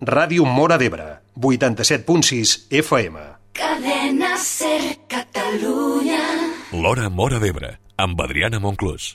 Ràdio Móra d'Ebre, 87.6 FM. Cadena Ser Catalunya. L'Hora Móra d'Ebre, amb Adriana Monclús.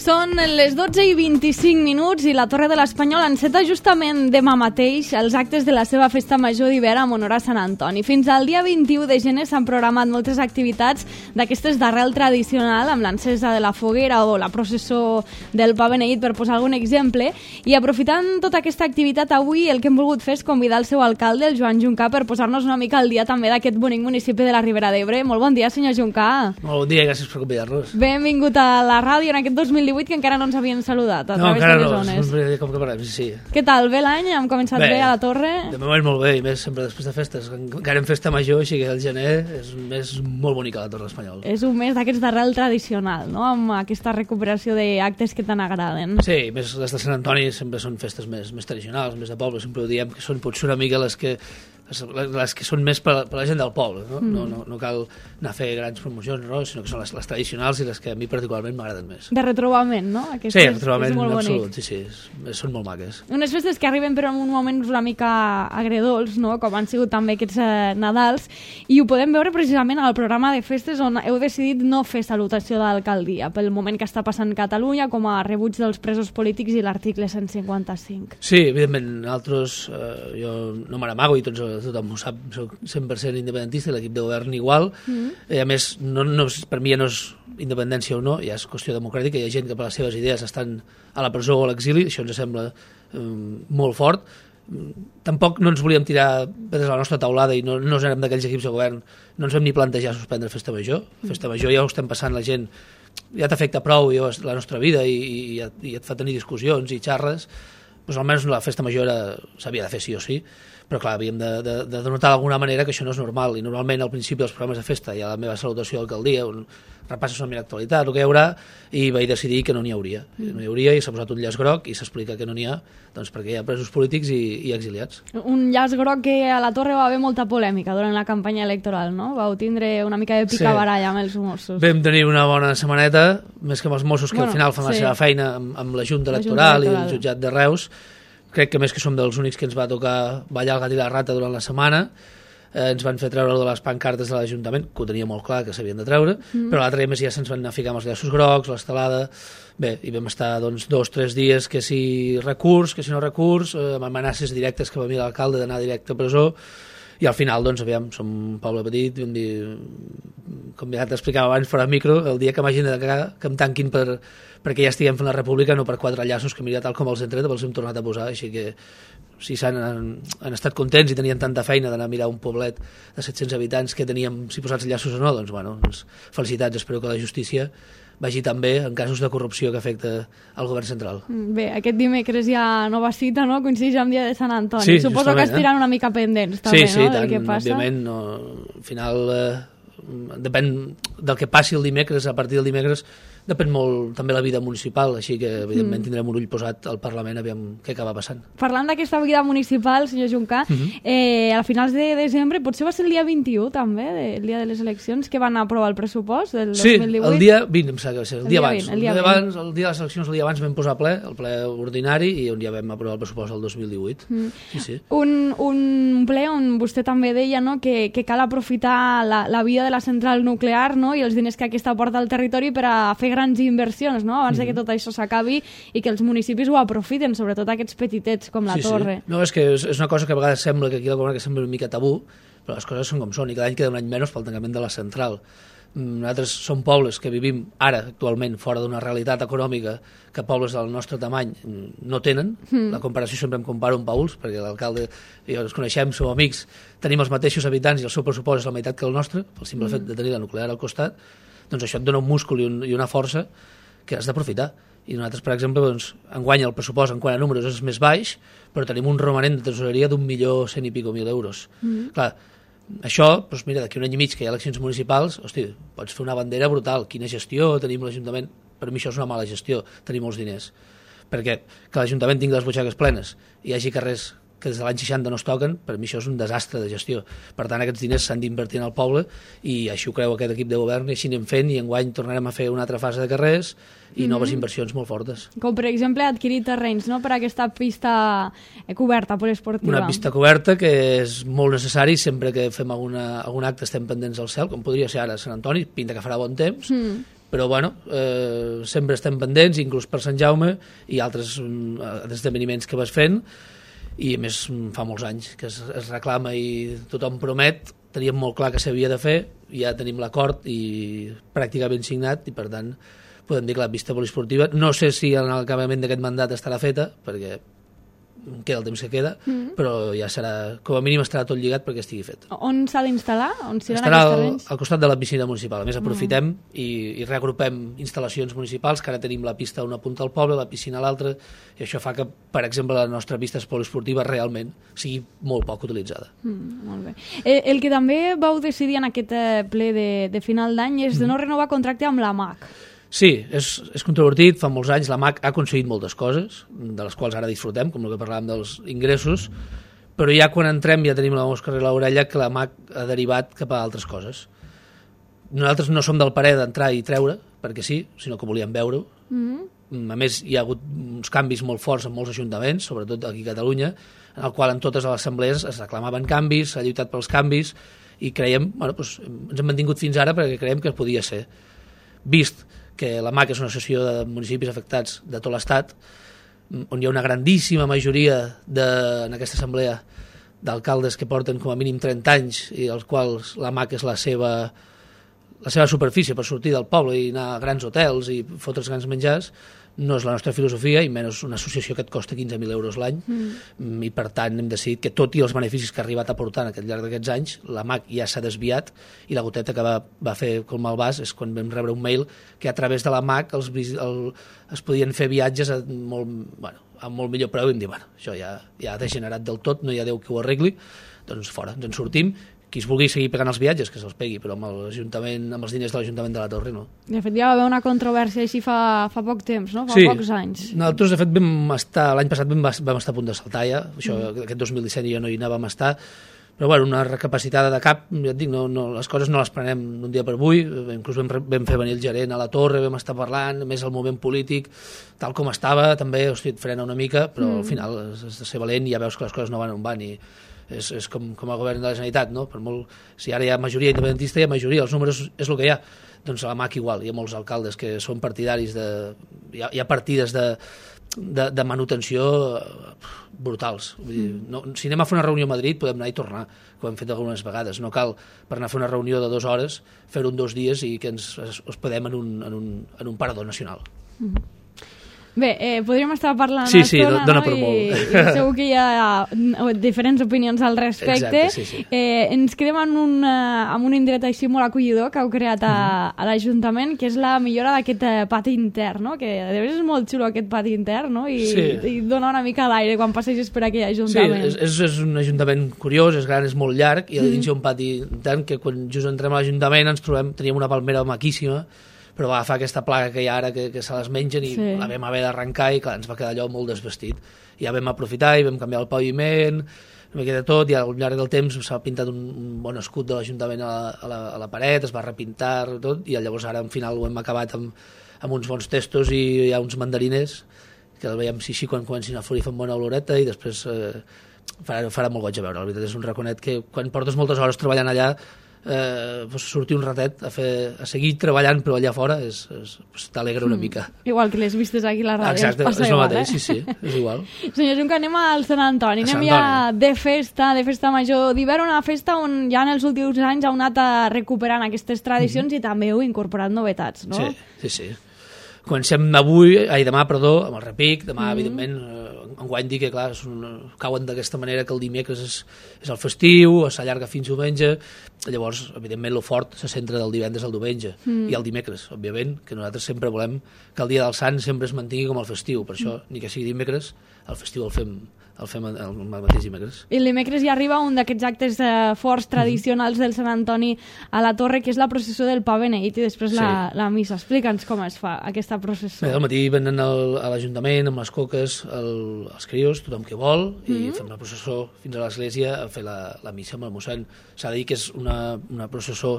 Són les 12:25 i la Torre de l'Espanyol enceta justament demà mateix els actes de la seva festa major d'hivern en honor a Sant Antoni. Fins al dia 21 de gener s'han programat moltes activitats d'aquestes d'arrel tradicional, amb l'encesa de la foguera o la processó del pa beneït, per posar algun exemple. I aprofitant tota aquesta activitat, avui el que hem volgut fer és convidar el seu alcalde, el Joan Juncà, per posar-nos una mica al dia també d'aquest bonic municipi de la Ribera d'Ebre. Molt bon dia, senyor Juncà. Molt bon dia i gràcies per convidar-nos. Benvingut a la ràdio en aquest 2018, que encara no ens havien saludat a través de les zones. No, com que parlem, sí. Què tal? Bé l'any? Hem començat bé a la Torre? De moment molt bé, i més sempre després de festes. Encara en festa major, així que el gener és un mes molt bonic a la Torre Espanyol. És un mes d'aquests d'arrel tradicional, no? Amb aquesta recuperació d'actes que tant agraden. Sí, més les de Sant Antoni sempre són festes més tradicionals, més de poble, sempre ho diem, que són potser una mica les que són més per la gent del poble, no? No cal anar a fer grans promocions, no? Sinó que són les tradicionals i les que a mi particularment m'agraden més. De retrobament, no? Sí, retrobament absolut, sí, són molt maques. Unes festes que arriben però en un moment una mica agredolç, no? Com han sigut també aquests Nadals, i ho podem veure precisament al programa de festes on heu decidit no fer salutació d'alcaldia pel moment que està passant Catalunya, com a rebuig dels presos polítics i l'article 155. Sí, evidentment, nosaltres, jo no me n'amago i tothom ho sap, soc 100% independentista i l'equip de govern igual. A més, per mi ja no és independència o no, ja és qüestió democràtica, hi ha gent que per les seves idees estan a la presó o a l'exili, això ens sembla molt fort. Tampoc no ens volíem tirar des de la nostra taulada i no érem d'aquells equips de govern, no ens vam ni plantejar suspendre Festa Major. Festa Major ja ho estem passant, la gent ja t'afecta prou la nostra vida i et fa tenir discussions i xarres, doncs almenys la Festa Major s'havia de fer sí o sí, però clar, havíem de denotar d'alguna manera que això no és normal, i normalment al principi dels programes de festa hi ha la meva salutació d'alcaldia, on repasses una mica l'actualitat, el que hi haurà, i vaig decidir que no n'hi hauria. No hi hauria i s'ha posat un llaç groc i s'explica que no n'hi ha, doncs perquè hi ha presos polítics i exiliats. Un llaç groc que a la Torre va haver molta polèmica durant la campanya electoral, no? Vau tindre una mica de picabaralla amb els Mossos. Vam tenir una bona setmaneta, més que amb els Mossos, que al final fan la seva feina amb la Junta Electoral i el jutjat de Reus. Crec que més que som dels únics que ens va tocar ballar el gat i la rata durant la setmana. Ens van fer treure de les pancartes de l'Ajuntament, que ho tenia molt clar que s'havien de treure, però l'altre dia més ja se'ns van anar a ficar amb els llaços grocs, l'estelada. Bé, i vam estar 2 o 3 dies, que si recurs, que si no recurs, amb amenaces directes que va mir l'alcalde d'anar directe a presó, i al final, doncs, aviam, som un poble petit, vam dir, com ja t'explicava abans fora micro, el dia que m'hagin de cagar, que em tanquin perquè ja estiguem fent la república, no per 4 llaços que mira tal com els hem tret, els hem tornat a posar, així que si han estat contents i tenien tanta feina d'anar a mirar un poblet de 700 habitants que teníem, si posats llaços o no, doncs, bueno, felicitats, espero que la justícia vagi també en casos de corrupció que afecta el govern central. Bé, aquest dimecres hi ha nova cita, no? Coincideix amb dia de Sant Antoni. Sí, suposo que estiran una mica pendents, també, sí, no? Del que passa. Òbviament, al final depèn del que passi el dimecres, a partir del dimecres depèn molt també la vida municipal, així que evidentment tindrem un ull posat al Parlament a veure què acaba passant. Parlant d'aquesta vida municipal, senyor Juncà, a finals de desembre, potser va ser el dia 21 també, el dia de les eleccions, que van aprovar el pressupost del 2018? Sí, el dia 20, em sembla que va ser, el dia abans. El dia de les eleccions, el dia abans vam posar el ple ordinari, i on ja vam aprovar el pressupost del 2018. Sí. Un ple on vostè també deia, no, que cal aprofitar la vida de la central nuclear, no, i els diners que aquesta porta al territori per a fer grans inversions, no? Abans de que tot això s'acabi i que els municipis ho aprofiten, sobretot aquests petitets com la Torre. No, és que és una cosa que a vegades sembla que aquí la comarca sembla una mica tabú, però les coses són com són, i cada any queda un any menys pel tancament de la central. Nosaltres som pobles que vivim ara, actualment, fora d'una realitat econòmica que pobles del nostre tamany no tenen. La comparació sempre em comparo amb Pauls, perquè l'alcalde i jo ens coneixem, som amics, tenim els mateixos habitants i el seu pressupost és la meitat que el nostre, pel simple fet de tenir la nuclear al costat. Doncs això et dona un múscul i una força que has d'aprofitar. I nosaltres, per exemple, doncs, enguany el pressupost en quant a números és més baix, però tenim un romanent de tesoreria d'1.100.000 i pico euros. Clar, això, doncs mira, d'aquí un any i mig que hi ha eleccions municipals, hosti, pots fer una bandera brutal. Quina gestió tenim l'Ajuntament? per mi això és una mala gestió, tenir molts diners, perquè que l'Ajuntament tingui les butxaques plenes i hi hagi carrers que des de l'any 60 no es toquen, per mi això és un desastre de gestió. Per tant, aquests diners s'han d'invertir en el poble i així ho creu aquest equip de govern i així anem fent i enguany tornarem a fer una altra fase de carrers i noves inversions molt fortes. Com per exemple adquirir terrenys, no?, per aquesta pista coberta, poliesportiva. Una pista coberta que és molt necessari sempre que fem algun acte estem pendents al cel, com podria ser ara a Sant Antoni, pinta que farà bon temps, però bueno, sempre estem pendents, inclús per Sant Jaume i altres esdeveniments que vas fent, i a més fa molts anys que es reclama i tothom promet, teníem molt clar que s'havia de fer, ja tenim l'acord i pràcticament signat i per tant podem dir que la pista poliesportiva, no sé si en l'acabament d'aquest mandat estarà feta, perquè queda el temps que queda, però ja serà, com a mínim estarà tot lligat perquè estigui fet. On s'ha d'instal·lar? On seran estarà aquests terrenys? al costat de la piscina municipal. A més, aprofitem i reagrupem instal·lacions municipals, que ara tenim la pista a una punta al poble, la piscina a l'altra, i això fa que, per exemple, la nostra pista poliesportiva realment sigui molt poc utilitzada. Molt bé. El que també vau decidir en aquest ple de final d'any és de no renovar contracte amb la MAC. Sí, és controvertit, fa molts anys la MAC ha aconseguit moltes coses, de les quals ara disfrutem, com el que parlàvem dels ingressos, però ja quan entrem ja tenim la mosca a l'orella que la MAC ha derivat cap a altres coses. Nosaltres no som del parer d'entrar i treure, perquè sí, sinó que volíem veure-ho. A més, hi ha hagut uns canvis molt forts en molts ajuntaments, sobretot aquí a Catalunya, en el qual en totes les assemblees es reclamaven canvis, s'ha lluitat pels canvis, i creiem, bueno, doncs, ens hem mantingut fins ara perquè creiem que podia ser. Vist que la MAC és una associació de municipis afectats de tot l'Estat, on hi ha una grandíssima majoria en aquesta assemblea d'alcaldes que porten com a mínim 30 anys i als quals la MAC és la seva superfície per sortir del poble i anar a grans hotels i fotre's grans menjars, no és la nostra filosofia i menys una associació que et costa 15.000 euros l'any i per tant hem decidit que tot i els beneficis que ha arribat a portar al llarg d'aquests anys, la MAC ja s'ha desviat i la goteta que va fer com el vas és quan vam rebre un mail que a través de la MAC es podien fer viatges a molt millor preu i em diuen, això ja ha degenerat del tot, no hi ha Déu que ho arregli, doncs fora, ens en sortim. Qui es vulgui seguir pagant els viatges, que se'ls pegui, però amb els diners de l'Ajuntament de la Torre no. De fet, ja va haver una controvèrsia així fa poc temps, no? Fa pocs anys. Nosaltres, de fet, l'any passat vam estar a punt de saltar ja, aquest 2017 ja no hi anàvem a estar, però bueno, una recapacitada de cap, ja et dic, les coses no les prenem d'un dia per avui, inclús vam fer venir el gerent a la Torre, vam estar parlant, més el moment polític, tal com estava, també, et frena una mica, però al final has de ser valent i ja veus que les coses no van on van i és com a govern de la Generalitat, no? Per molt, si ara hi ha majoria independentista, hi ha majoria, els números és el que hi ha. Doncs a la MAC igual, hi ha molts alcaldes que són partidaris hi ha partides de manutenció brutals. Vull dir, si anem a fer una reunió a Madrid podem anar i tornar, que ho hem fet algunes vegades. No cal per anar a fer una reunió de 2 hores fer-ho en 2 dies i que ens hospedem en un parador nacional. Bé, podríem estar parlant sí, dona no? per molt. I segur que hi ha diferents opinions al respecte. Exacte, sí. Ens quedem amb un indret així molt acollidor que heu creat a l'Ajuntament, que és la millora d'aquest pati intern, no? Que de veritat és molt xulo aquest pati intern, no? I dona una mica d'aire quan passeges per aquell Ajuntament. Sí, és un Ajuntament curiós, és gran, és molt llarg, i a dins hi ha un pati intern que quan just entrem a l'Ajuntament ens trobem, teníem una palmera maquíssima, però va agafar aquesta plaga que hi ha ara que se les mengen i la vam haver d'arrencar i clar, ens va quedar allò molt desvestit. Ja vam aprofitar i vam canviar el paviment, no queda tot, i al llarg del temps s'ha pintat un bon escut de l'Ajuntament a la paret, es va repintar tot, i llavors ara al final ho hem acabat amb uns bons testos i hi ha uns mandarines que el veiem així quan comencin a florir fan bona oloreta i després farà molt goig a veure. La veritat és un raconet que quan portes moltes hores treballant allà sortir un ratet a seguir treballant però allà fora t'alegra una mica. Igual que les vistes aquí a la ràdio. Exacte, és el mateix, sí, és igual. Senyor Junca, anem al Sant Antoni, anem ja de festa major d'hivern, una festa on ja en els últims anys heu anat recuperant aquestes tradicions i també heu incorporat novetats, no? Sí. Comencem demà, amb el repic, demà, evidentment, enguany dir que, clar, cauen d'aquesta manera que el dimecres és el festiu, s'allarga fins diumenge, llavors, evidentment, lo fort se centra del divendres al diumenge, i el dimecres, òbviament, que nosaltres sempre volem que el dia del Sant sempre es mantingui com el festiu, per això, ni que sigui dimecres, el festiu el el fem el mateix dimecres. I el dimecres ja arriba un d'aquests actes forts tradicionals del Sant Antoni a la Torre, que és la processó del Pa Beneït i després la missa. Explica'ns com es fa aquesta processó. Bé, al matí venen a l'Ajuntament amb les coques els crios, tothom que vol, i fem la processó fins a l'església a fer la missa amb el mossèn. S'ha de dir que és una processó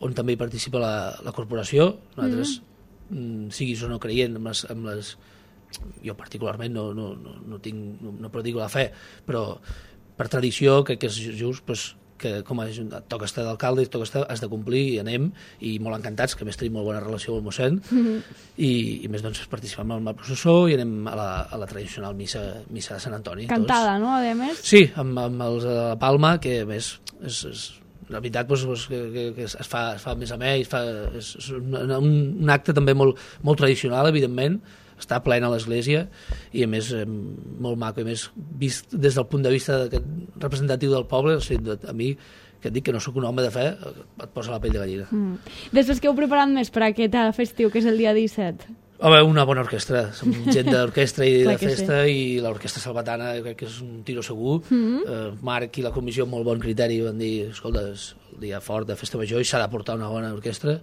on també hi participa la corporació. Nosaltres, siguis o no creient amb les jo particularment no predico la fe, però per tradició crec que és just que com a toca estar d'alcalde, has de complir i anem, i molt encantats, que a més tenim molt bona relació amb el mossèn, i més doncs participem en la processó i anem a la tradicional missa de Sant Antoni. Cantada, no, a més? Sí, amb els de la Palma, que a més és la veritat que es fa més amè, és un acte també molt tradicional, evidentment, està plena a l'església i a més molt maco, i més vist des del punt de vista representatiu del poble. O sigui, a mi, que et dic que no sóc un home de fe, et posa la pell de gallina. Després, què heu preparat més per aquest festiu, que és el dia 17? Home, una bona orquestra, som gent d'orquestra i de festa, i l'orquestra salvatana crec que és un tiro segur. Marc i la comissió amb molt bon criteri van dir, escolta, és el dia fort de festa major i s'ha de portar una bona orquestra,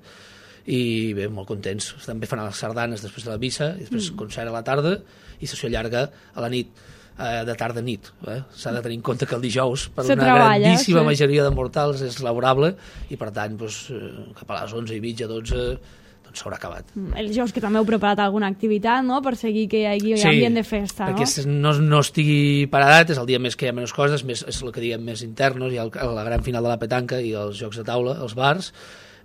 i bé, molt contents. També fan les sardanes després de la missa, i després concert a la tarda i sessió llarga a la nit, de tarda a nit. S'ha de tenir en compte que el dijous per una grandíssima majoria de mortals és laborable, i per tant cap a les 11:30, 12 doncs s'haurà acabat. El dijous que també heu preparat alguna activitat, no?, per seguir que hi hagi ambient de festa, no? Perquè no estigui paradat, és el dia més que hi ha menys coses, és el que diguem més internos, hi ha la gran final de la petanca i els jocs de taula, els bars.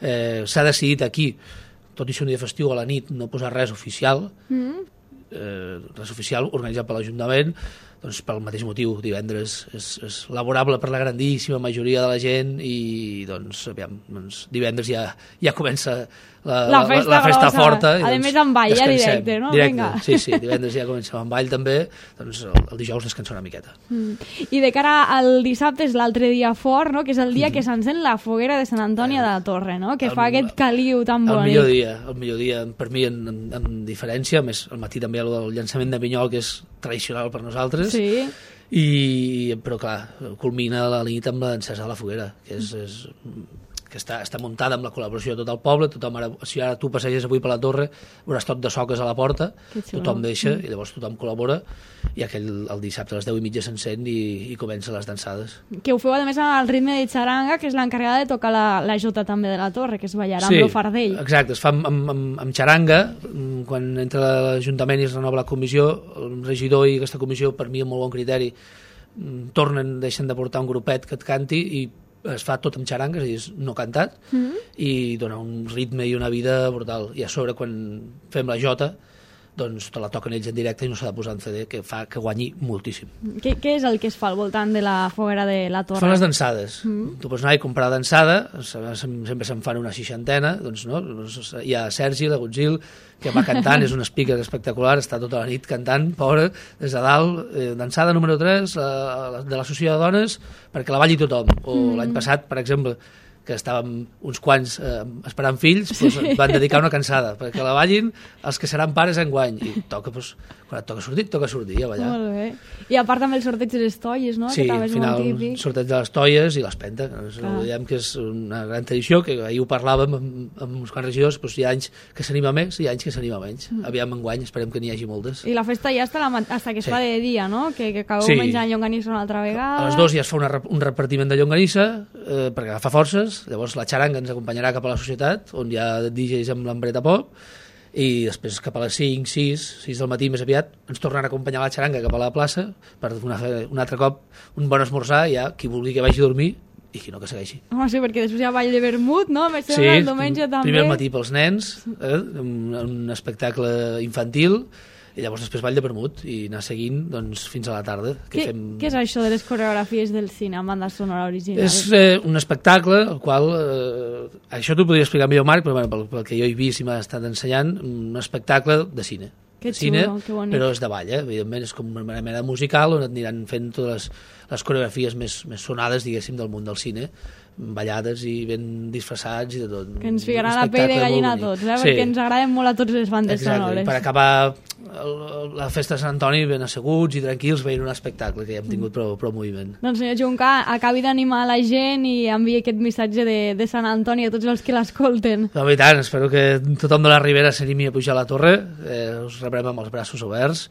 S'ha decidit aquí, tot i ser un dia festiu, a la nit no posar res oficial, organitzat per l'Ajuntament, doncs pel mateix motiu. Divendres és laborable per la grandíssima majoria de la gent, i doncs divendres ja comença la festa forta. A més amb ball, ja directe, no? Sí, divendres ja comença amb ball també, doncs el dijous descansar una miqueta. I de cara al dissabte és l'altre dia fort, no?, que és el dia que s'encén la foguera de Sant Antoni de la Torre, no?, que fa aquest caliu tan bonic. El millor dia per mi en diferència, més al matí també el llançament de pinyol, que és tradicional per nosaltres, però clar, culmina la nit amb l'encesa de la foguera, que està muntada amb la col·laboració de tot el poble. Si ara tu passeges avui per la Torre, veuràs tot de soques a la porta, tothom deixa, i llavors tothom col·labora, i el dissabte a les 10:30 s'encén i comencen les dansades. Que ho feu a més al ritme de xaranga, que és l'encarregada de tocar la jota també de la Torre, que es ballarà amb el fardell. Exacte, es fa amb xaranga. Quan entra l'Ajuntament i es renova la comissió, el regidor i aquesta comissió, per mi amb molt bon criteri, deixen de portar un grupet que et canti, i es fa tot amb xarangues, és a dir, no cantat, i dona un ritme i una vida brutal. I a sobre, quan fem la jota, doncs te la toquen ells en directe i no s'ha de posar en CD, que fa que guanyi moltíssim. Què és el que es fa al voltant de la foguera de la Torre? Fan les dansades. Tu pots anar i comprar dansada, sempre se'n fan una 60, doncs no? Hi ha Sergi, la Gonzil, que va cantant, és un speaker espectacular, està tota la nit cantant, pobre, des de dalt, dansada número 3 de l'Associació de Dones, perquè la balli tothom. O l'any passat, per exemple, que estàvem uns quants esperant fills, doncs van dedicar una cansada perquè la ballin els que seran pares enguany, i toca, doncs, quan et toca sortir a ballar. Molt bé. I a part també el sorteig de les toies, no? Sí, al final el sorteig de les toies i l'espenta, diguem que és una gran tradició, que ahir ho parlàvem amb uns quants regidors, doncs hi ha anys que s'anima més i hi ha anys que s'anima menys. Aviam enguany, esperem que n'hi hagi moltes. I la festa ja està que es fa de dia, no? Que acabeu menjant llonganissa una altra vegada. A les 2 ja es fa un repartiment de llonganissa perquè agafa forces. Llavors la xaranga ens acompanyarà cap a la societat, on hi ha DJs amb l'ambreta pop, i després cap a les 5, 6 del matí més aviat ens tornen a acompanyar la xaranga cap a la plaça per un altre cop un bon esmorzar, ja qui vulgui que vagi a dormir i qui no que segueixi. Sí, perquè després hi ha ball de vermut, no? El diumenge també. Primer al matí pels nens, un espectacle infantil, i llavors després ball de vermut i anar seguint doncs, fins a la tarda. Què és això de les coreografies del cine amb banda sonora original? És un espectacle el qual, això t'ho podria explicar millor Marc, però pel que jo he vist i m'ha estat ensenyant, un espectacle de cine. Que xulo, que bonic. Però és de ball, evidentment, és com una mena musical on et aniran fent totes les coreografies més sonades, diguéssim, del món del cine, ballades i ben disfressats i de tot. Que ens ficaran la pell de gallina a tots, perquè ens agraden molt a tots les bandes sonores. Per acabar la festa de Sant Antoni ben asseguts i tranquils veient un espectacle, que ja hem tingut prou moviment. Doncs senyor Juncà, acabi d'animar la gent i enviï aquest missatge de Sant Antoni a tots els que l'escolten. I tant, espero que tothom de la Ribera s'animi a pujar a la torre, us rebrem amb els braços oberts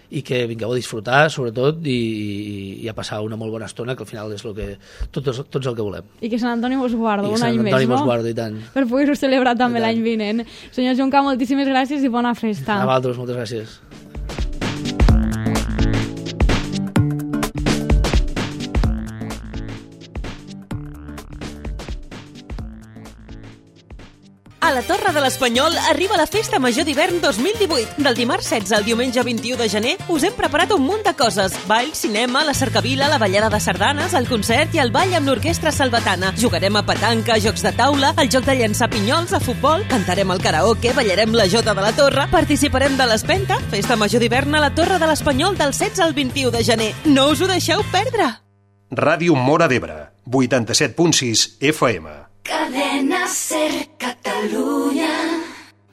i que vingueu a disfrutar, sobretot, i a passar una molt bona estona, que al final és el que tots el que volem. I que Sant Antoni vos guarda un any més, no? I que Sant Antoni vos guarda, i tant. Per poder-ho celebrar també l'any vinent. Senyor Juncà, moltíssimes gràcies i bona festa. A vosaltres, moltes gràcies. A la Torre de l'Espanyol arriba la Festa Major d'Hivern 2018. Del dimarts 16 al diumenge 21 de gener us hem preparat un munt de coses. Ball, cinema, la cercavila, la ballada de sardanes, el concert i el ball amb l'orquestra salvatana. Jugarem a petanca, jocs de taula, el joc de llançar pinyols, a futbol, cantarem al karaoke, ballarem la jota de la Torre, participarem de l'Espenta, Festa Major d'Hivern a la Torre de l'Espanyol del 16 al 21 de gener. No us ho deixeu perdre! Ràdio Móra d'Ebre, 87.6 FM. Cadena Ser Catalunya.